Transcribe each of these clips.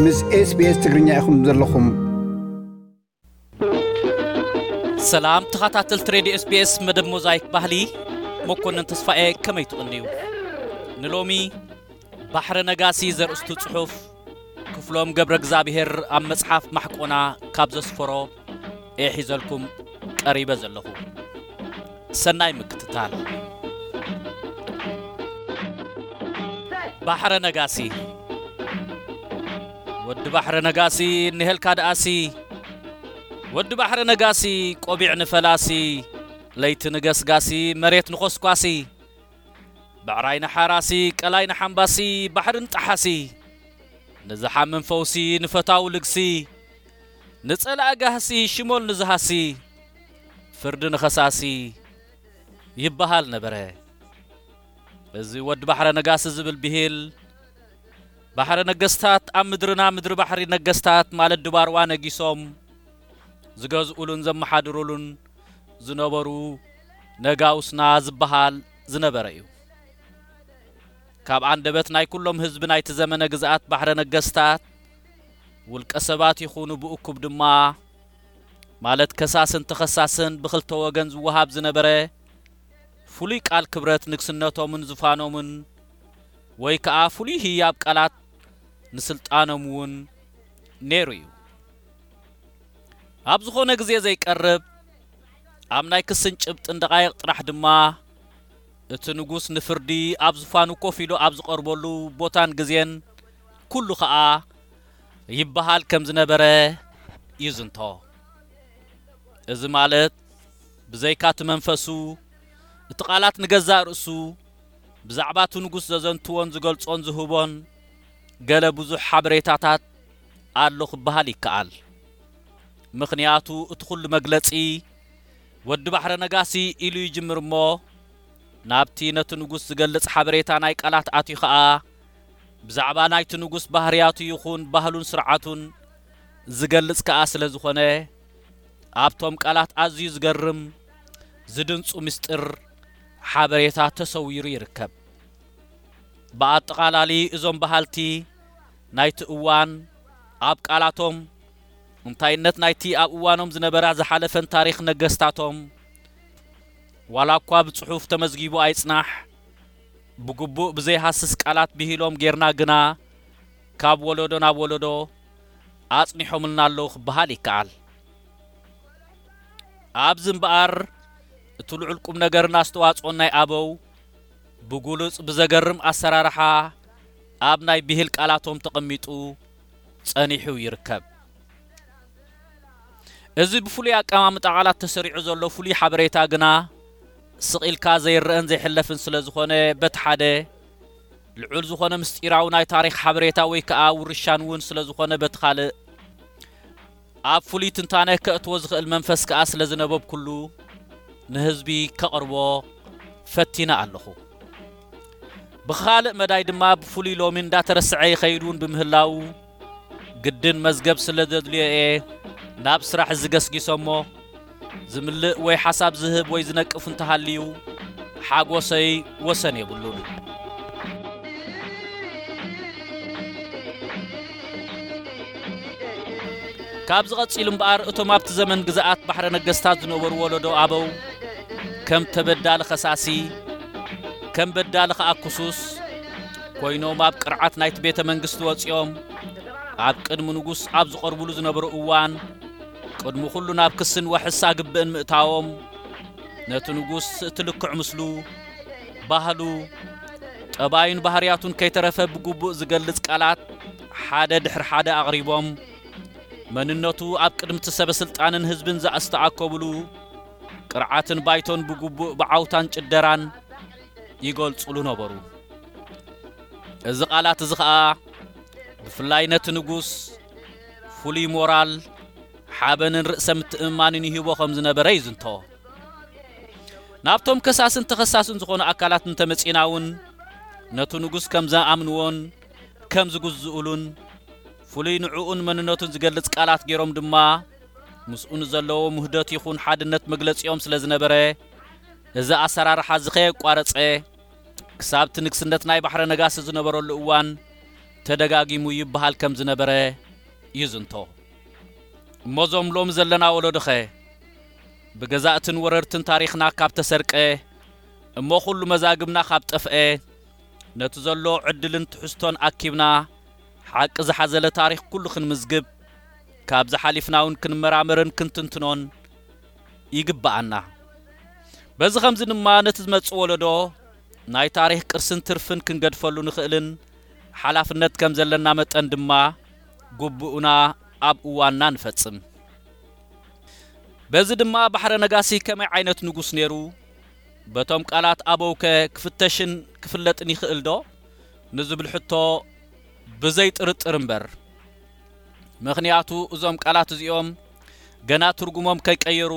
ምስ SBS ትግርኛ ኢኹም ዘለኹም። ሰላም ተኸታተልቲ ሬድዮ SBS መደብ ሞዛይክ ባህሊ፣ መኮንን ተስፋኤ፣ ከመይ ትቕንዩ? ንሎሚ ባሕረ ነጋሲ ዘርእስቱ ጽሑፍ ክፍሎም ገብረ እግዚኣብሔር ኣብ መጽሓፍ ማሕቆና ካብ ዘስፈሮ እየ ሒዘልኩም ቀሪበ ዘለኹ። ሰናይ ምክትታል። ባሕረ ነጋሲ። ወዲ ባሕረ ነጋሲ፣ እንሄልካ ደኣሲ። ወዲ ባሕረ ነጋሲ፣ ቆቢዕ ንፈላሲ፣ ለይቲ ንገስጋሲ፣ መሬት ንኾስኳሲ፣ ብዕራይ ንሓራሲ፣ ቀላይ ንሓምባሲ፣ ባሕሪ ንጠሓሲ፣ ንዝሓምም ፈውሲ፣ ንፈታው ልግሲ፣ ንጸላእ ጋህሲ፣ ሽሞል ንዝሃሲ፣ ፍርዲ ንኸሳሲ ይበሃል ነበረ። እዚ ወዲ ባሕረ ነጋሲ ዝብል ብሂል፣ ባሕረ ነገስታት ኣብ ምድርና፣ ምድሪ ባሕሪ ነገስታት ማለት ድባርዋ ነጊሶም ዝገዝኡሉን ዘመሓድሩሉን ዝነበሩ ነጋውስና ዝበሃል ዝነበረ እዩ። ካብ ኣንደበት ናይ ኩሎም ህዝቢ ናይቲ ዘመነ ግዝኣት ባሕረ ነገስታት፣ ውልቀ ሰባት ይኹኑ ብእኩብ ድማ፣ ማለት ከሳስን ተኸሳስን ብኽልተ ወገን ዝወሃብ ዝነበረ ፍሉይ ቃል ክብረት ንግስነቶምን ዙፋኖምን፣ ወይ ከኣ ፍሉይ ህያብ ቃላት ንስልጣኖም እውን ነይሩ እዩ። ኣብ ዝኾነ ግዜ ዘይቀርብ፣ ኣብ ናይ ክስን ጭብጥን ደቃይቕ ጥራሕ ድማ፣ እቲ ንጉስ ንፍርዲ ኣብ ዙፋኑ ኮፍ ኢሉ ኣብ ዝቐርበሉ ቦታን ግዜን ኩሉ ኸኣ ይበሃል ከም ዝነበረ ይዝንቶ። እዚ ማለት፣ ብዘይካ እቲ መንፈሱ፣ እቲ ቃላት ንገዛእ ርእሱ ብዛዕባ እቲ ንጉስ ዘዘንትዎን ዝገልጾን ዝህቦን ገለ ብዙሕ ሓበሬታታት ኣሎ ክበሃል ይከኣል። ምኽንያቱ፣ እቲ ኩሉ መግለጺ ወዲ ባሕረ ነጋሲ ኢሉ ይጅምር እሞ፣ ናብቲ ነቲ ንጉስ ዝገልጽ ሓበሬታ ናይ ቃላት ኣትዩ ኸኣ፣ ብዛዕባ ናይቲ ንጉስ ባህርያቱ ይኹን ባህሉን ስርዓቱን ዝገልጽ ከኣ ስለ ዝኾነ፣ ኣብቶም ቃላት ኣዝዩ ዝገርም፣ ዝድንጹ ምስጢር ሓበሬታ ተሰዊሩ ይርከብ። ብኣጠቓላሊ እዞም በሃልቲ ናይቲ እዋን ኣብ ቃላቶም፣ እንታይነት ናይቲ ኣብ እዋኖም ዝነበራ ዝሓለፈን ታሪኽ ነገስታቶም፣ ዋላ እኳ ብጽሑፍ ተመዝጊቡ ኣይጽናሕ፣ ብግቡእ ብዘይሃስስ ቃላት ብሂሎም ጌርና ግና ካብ ወለዶ ናብ ወለዶ ኣጽኒሖምልና ኣለዉ ክበሃል ይከኣል። ኣብዚ እምበኣር እቲ ልዑል ቁም ነገርን ኣስተዋጽኦን ናይ ኣበው ብጉሉጽ ብዘገርም ኣሰራርሓ ኣብ ናይ ብሂል ቃላቶም ተቐሚጡ ጸኒሑ ይርከብ። እዚ ብፍሉይ ኣቀማምጣ ቃላት ተሰሪዑ ዘሎ ፍሉይ ሓበሬታ ግና ስቕ ኢልካ ዘይረኣን ዘይሕለፍን ስለ ዝኾነ፣ በቲ ሓደ ልዑል ዝኾነ ምስጢራዊ ናይ ታሪኽ ሓበሬታ ወይ ከኣ ውርሻን እውን ስለ ዝኾነ፣ በቲ ካልእ ኣብ ፍሉይ ትንታነ ከእትዎ ዝኽእል መንፈስ ከኣ ስለ ዝነበብኩሉ ንህዝቢ ከቕርቦ ፈቲነ ኣለኹ። ብኻልእ መዳይ ድማ ብፍሉይ ሎሚ እንዳተረስዐ ይኸይድ እውን ብምህላዉ፣ ግድን መዝገብ ስለ ዘድልዮ እየ ናብ ስራሕ እዚ ገስጊሰ እሞ፣ ዝምልእ ወይ ሓሳብ ዝህብ ወይ ዝነቅፍ እንተሃልዩ፣ ሓጎሰይ ወሰን የብሉን። ካብዚ ቀጺሉ እምበኣር፣ እቶም ኣብቲ ዘመን ግዝኣት ባሕረ ነገስታት ዝነበሩ ወለዶ ኣበው፣ ከም ተበዳሊ ኸሳሲ፣ ከም በዳሊ ኸኣ ክሱስ ኮይኖም ኣብ ቅርዓት ናይቲ ቤተ መንግስቲ ወጺኦም፣ ኣብ ቅድሚ ንጉስ ኣብ ዝቐርብሉ ዝነበሩ እዋን፣ ቅድሚ ኩሉ ናብ ክስን ዋሕስ ኣግብእን ምእታዎም፣ ነቲ ንጉስ እቲ ልክዕ ምስሉ፣ ባህሉ፣ ጠባዩን ባህርያቱን ከይተረፈ ብግቡእ ዝገልጽ ቃላት ሓደ ድሕሪ ሓደ ኣቕሪቦም፣ መንነቱ ኣብ ቅድሚ እቲ ሰበ ስልጣንን ህዝብን ዘኣስተኣከብሉ፣ ቅርዓትን ባይቶን ብግቡእ ብዓውታን ጭደራን ይገልጹሉ ነበሩ። እዚ ቃላት እዚ ኸኣ ብፍላይ ነቲ ንጉስ ፍሉይ ሞራል፣ ሓበንን ርእሰ ምትእምማንን ይህቦ ከም ዝነበረ ይዝንቶ። ናብቶም ከሳስን ተኸሳስን ዝኾኑ ኣካላት እንተመጺእና እውን፣ ነቲ ንጉስ ከም ዝኣምንዎን ከም ዝግዝኡሉን፣ ፍሉይ ንዕኡን መንነቱን ዝገልጽ ቃላት ገይሮም ድማ ምስኡ ንዘለዎም ውህደት ይኹን ሓድነት መግለጺኦም ስለ ዝነበረ፣ እዚ ኣሰራርሓ እዚ ከየቋረጸ፣ ክሳብ እቲ ንግስነት ናይ ባሕረ ነጋሲ ዝነበረሉ እዋን ተደጋጊሙ ይበሃል ከም ዝነበረ ይዝንቶ። እሞ እዞም ሎሚ ዘለና ወለዶኸ ብገዛእትን ወረርትን ታሪኽና ካብ ተሰርቀ፣ እሞ ኩሉ መዛግብና ካብ ጠፍአ፣ ነቲ ዘሎ ዕድልን ትሕዝቶን ኣኪብና ሓቂ ዝሓዘለ ታሪኽ ኩሉ ክንምዝግብ፣ ካብዚ ሓሊፍና እውን ክንመራመርን ክንትንትኖን ይግብኣና። በዚ ኸምዚ ድማ ነቲ ዝመጽእ ወለዶ ናይ ታሪኽ ቅርስን ትርፍን ክንገድፈሉ ንኽእልን ሓላፍነት ከም ዘለና መጠን ድማ ግቡእና ኣብ እዋንና ንፈጽም። በዚ ድማ ባሕረ ነጋሲ ከመይ ዓይነት ንጉስ ነይሩ? በቶም ቃላት ኣበውከ ክፍተሽን ክፍለጥን ይኽእል ዶ? ንዝብል ሕቶ ብዘይ ጥርጥር እምበር። ምኽንያቱ እዞም ቃላት እዚኦም ገና ትርጉሞም ከይቀየሩ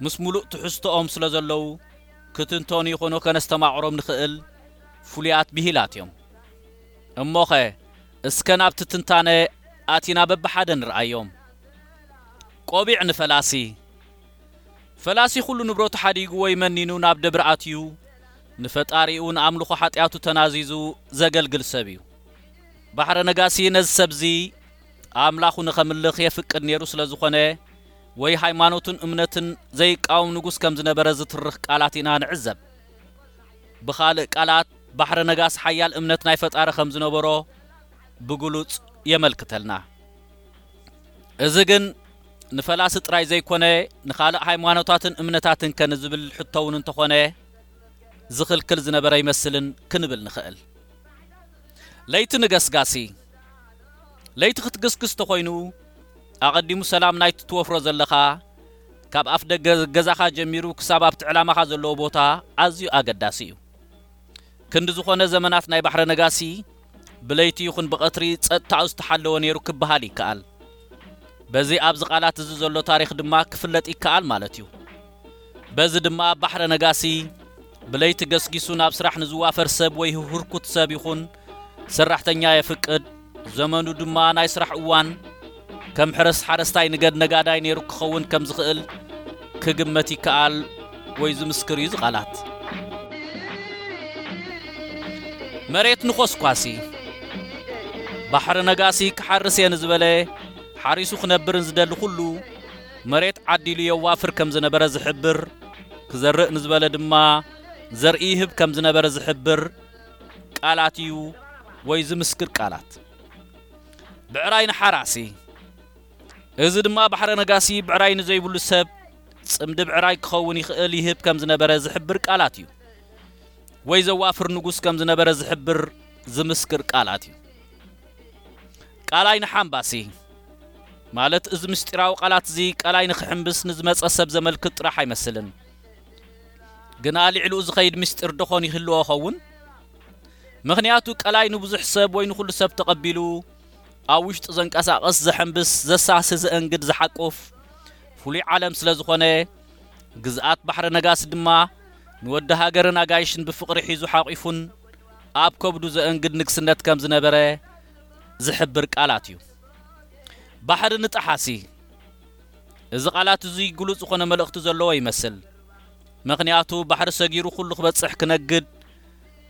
ምስ ሙሉእ ትሕዝቶኦም ስለ ዘለዉ ክትንተኑ ይኹኑ ከነስተማቕሮም ንኽእል ፍሉያት ብሂላት እዮም። እሞኸ እስከ ናብቲ ትንታነ ኣቲና በብሓደ ንርኣዮም። ቆቢዕ ንፈላሲ። ፈላሲ ኩሉ ንብረቱ ሓዲጉ ወይ መኒኑ ናብ ደብር ኣትዩ ንፈጣሪኡ ንኣምልኾ ሓጢኣቱ ተናዚዙ ዘገልግል ሰብ እዩ። ባሕረ ነጋሲ ነዚ ሰብዚ ኣምላኹ ንኸምልኽ የፍቅድ ነይሩ ስለ ዝኾነ ወይ ሃይማኖቱን እምነትን ዘይቃወም ንጉስ ከም ዝነበረ ዝትርኽ ቃላት ኢና ንዕዘብ። ብኻልእ ቃላት ባሕረ ነጋሲ ሓያል እምነት ናይ ፈጣሪ ከም ዝነበሮ ብግሉጽ የመልክተልና። እዚ ግን ንፈላሲ ጥራይ ዘይኮነ ንኻልእ ሃይማኖታትን እምነታትን ከ ንዝብል ሕቶ እውን እንተኾነ ዝኽልክል ዝነበረ ኣይመስልን ክንብል ንኽእል። ለይቲ ንገስጋሲ። ለይቲ ክትግስግስ ተኾይኑ ኣቐዲሙ ሰላም ናይቲ ትወፍሮ ዘለኻ ካብ ኣፍ ደገ ገዛኻ ጀሚሩ ክሳብ ኣብቲ ዕላማኻ ዘለዎ ቦታ ኣዝዩ ኣገዳሲ እዩ። ክንዲ ዝኾነ ዘመናት ናይ ባሕረ ነጋሲ ብለይቲ ይኹን ብቐትሪ ጸጥታኡ ዝተሓለወ ነይሩ ክበሃል ይከኣል። በዚ ኣብዚ ቃላት እዚ ዘሎ ታሪኽ ድማ ክፍለጥ ይከኣል ማለት እዩ። በዚ ድማ ባሕረ ነጋሲ ብለይቲ ገስጊሱ ናብ ስራሕ ንዝዋፈር ሰብ ወይ ህርኩት ሰብ ይኹን ሰራሕተኛ የፍቅድ። ዘመኑ ድማ ናይ ስራሕ እዋን ከም ሕረስ ሓረስታይ ንገድ ነጋዳይ ነይሩ ክኸውን ከም ዝኽእል ክግመት ይከኣል ወይ ዝምስክር እዩ ዝቓላት። መሬት ንኾስኳሲ። ባሕሪ ነጋሲ ክሓርስ እየ ንዝበለ ሓሪሱ ክነብርን ዝደሊ ኩሉ መሬት ዓዲሉ የዋፍር ከም ዝነበረ ዝሕብር፣ ክዘርእ ንዝበለ ድማ ዘርኢ ይህብ ከም ዝነበረ ዝሕብር ቃላት እዩ ወይ ዝምስክር ቃላት። ብዕራይ ንሓራሲ። እዚ ድማ ባሕረ ነጋሲ ብዕራይ ንዘይብሉ ሰብ ጽምዲ ብዕራይ ክኸውን ይኽእል ይህብ ከም ዝነበረ ዝሕብር ቃላት እዩ። ወይ ዘዋፍር ንጉስ ከም ዝነበረ ዝሕብር ዝምስክር ቃላት እዩ። ቃላይ ንሓምባሲ። ማለት እዚ ምስጢራዊ ቃላት እዚ ቃላይ ንኽሕምብስ ንዝመጸ ሰብ ዘመልክት ጥራሕ ኣይመስልን። ግና ልዕሊኡ ዝኸይድ ምስጢር ደኾን ይህልዎ ኸውን? ምኽንያቱ ቃላይ ንብዙሕ ሰብ ወይ ንኹሉ ሰብ ተቐቢሉ ኣብ ውሽጡ ዘንቀሳቐስ፣ ዘሐምብስ፣ ዘሳሲ፣ ዘእንግድ፣ ዝሓቁፍ ፍሉይ ዓለም ስለ ዝኾነ፣ ግዝኣት ባሕሪ ነጋሲ ድማ ንወዲ ሃገርን ኣጋይሽን ብፍቕሪ ሒዙ ሓቂፉን ኣብ ከብዱ ዘእንግድ ንግስነት ከም ዝነበረ ዝሕብር ቃላት እዩ። ባሕሪ ንጠሓሲ። እዚ ቃላት እዚ ግሉጽ ዝኾነ መልእኽቲ ዘለዎ ይመስል። ምኽንያቱ ባሕሪ ሰጊሩ ኩሉ ክበጽሕ ክነግድ፣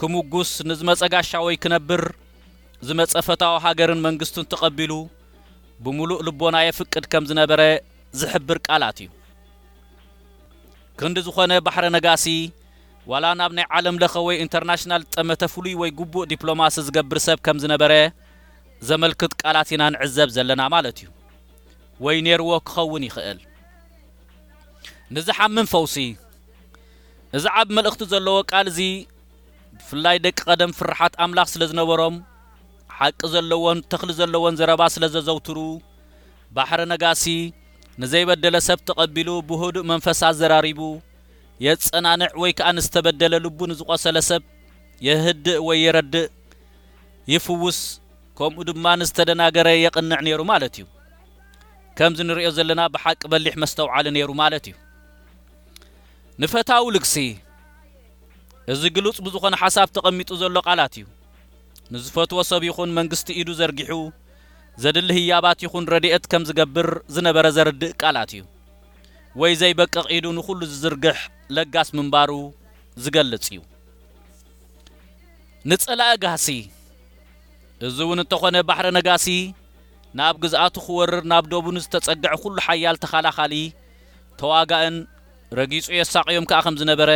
ክምጉስ፣ ንዝመጸ ጋሻ ወይ ክነብር፣ ዝመጸ ፈታዊ ሃገርን መንግስቱን ተቐቢሉ ብምሉእ ልቦና የፍቅድ ከም ዝነበረ ዝሕብር ቃላት እዩ። ክንዲ ዝኾነ ባሕረ ነጋሲ ዋላ ናብ ናይ ዓለም ለኸ ወይ ኢንተርናሽናል ጠመተ ፍሉይ ወይ ግቡእ ዲፕሎማሲ ዝገብር ሰብ ከም ዝነበረ ዘመልክት ቃላት ኢና ንዕዘብ ዘለና ማለት እዩ። ወይ ኔርዎ ክኸውን ይኽእል። ንዝሓምም ፈውሲ። እዚ ዓቢ መልእኽቲ ዘለዎ ቃል እዚ ብፍላይ ደቂ ቀደም ፍርሓት ኣምላኽ ስለ ዝነበሮም ሓቂ ዘለዎን ተኽሊ ዘለዎን ዘረባ ስለ ዘዘውትሩ ባሕረ ነጋሲ ንዘይበደለ ሰብ ተቐቢሉ ብህዱእ መንፈስ ኣዘራሪቡ የጸናንዕ ወይ ከኣ ንዝተበደለ ልቡ ንዝቖሰለ ሰብ የህድእ ወይ የረድእ ይፍውስ ከምኡ ድማ ንዝተደናገረ የቕንዕ ነይሩ ማለት እዩ። ከምዚ ንሪኦ ዘለና ብሓቂ በሊሕ መስተውዓሊ ነይሩ ማለት እዩ። ንፈታዊ ልግሲ። እዚ ግሉጽ ብዝኾነ ሓሳብ ተቐሚጡ ዘሎ ቃላት እዩ። ንዝፈትዎ ሰብ ይኹን መንግስቲ ኢዱ ዘርጊሑ ዘድሊ ህያባት ይኹን ረድኤት ከም ዝገብር ዝነበረ ዘርድእ ቃላት እዩ። ወይ ዘይበቅቕ ኢዱ ንኹሉ ዝዝርግሕ ለጋስ ምንባሩ ዝገልጽ እዩ። ንጸላኢ ጋህሲ። እዚ እውን እንተኾነ፣ ባሕረ ነጋሲ ናብ ግዝኣቱ ክወርር ናብ ዶቡ ንዝተጸግዐ ኩሉ ሓያል ተኻላኻሊ፣ ተዋጋእን ረጊጹ የሳቕዮም ከኣ ከም ዝነበረ፣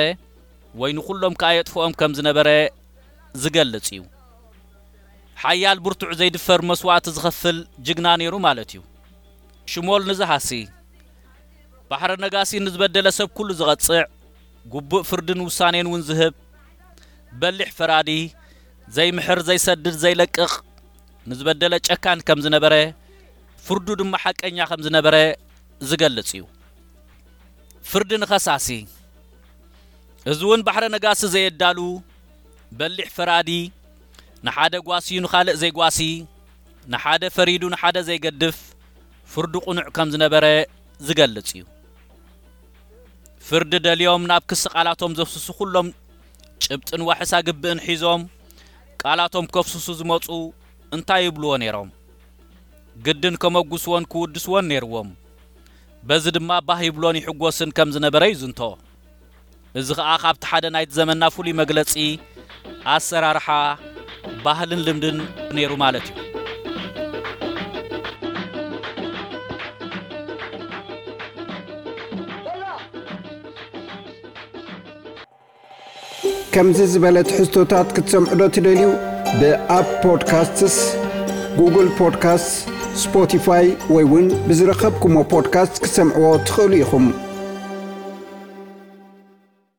ወይ ንኹሎም ከኣ የጥፍኦም ከም ዝነበረ ዝገልጽ እዩ። ሓያል ብርቱዕ ዘይድፈር መስዋእቲ ዝኸፍል ጅግና ነይሩ ማለት እዩ። ሽሞል ንዝሃሲ፣ ባሕረ ነጋሲ ንዝበደለ ሰብ ኩሉ ዝቐጽዕ፣ ግቡእ ፍርድን ውሳኔን እውን ዝህብ፣ በሊሕ ፈራዲ፣ ዘይምሕር፣ ዘይሰድድ፣ ዘይለቅቕ፣ ንዝበደለ ጨካን ከም ዝነበረ፣ ፍርዱ ድማ ሓቀኛ ከም ዝነበረ ዝገልጽ እዩ። ፍርዲ ንኸሳሲ፣ እዚ እውን ባሕረ ነጋሲ ዘየዳሉ፣ በሊሕ ፈራዲ፣ ንሓደ ጓስዩ ንኻልእ ዘይጓሲ፣ ንሓደ ፈሪዱ ንሓደ ዘይገድፍ፣ ፍርዱ ቅኑዕ ከም ዝነበረ ዝገልጽ እዩ። ፍርዲ ደልዮም ናብ ክሲ ቃላቶም ዘፍስሱ ኩሎም ጭብጥን ዋሕስ ኣግብእን ሒዞም ቃላቶም ከፍስሱ ዝመጹ እንታይ ይብልዎ ነይሮም? ግድን ከመጉስዎን ክውድስዎን ነይርዎም። በዚ ድማ ባህ ይብሎን ይሕጎስን ከም ዝነበረ ይዝንቶ። እዚ ኸኣ ካብቲ ሓደ ናይቲ ዘመንና ፍሉይ መግለጺ ኣሰራርሓ፣ ባህልን ልምድን ነይሩ ማለት እዩ። ከምዚ ዝበለ ትሕዝቶታት ክትሰምዑ ዶ ትደልዩ? ብኣፕ ፖድካስትስ፣ ጉግል ፖድካስትስ፣ ስፖቲፋይ ወይ እውን ብዝረኸብኩሞ ፖድካስት ክትሰምዕዎ ትኽእሉ ኢኹም።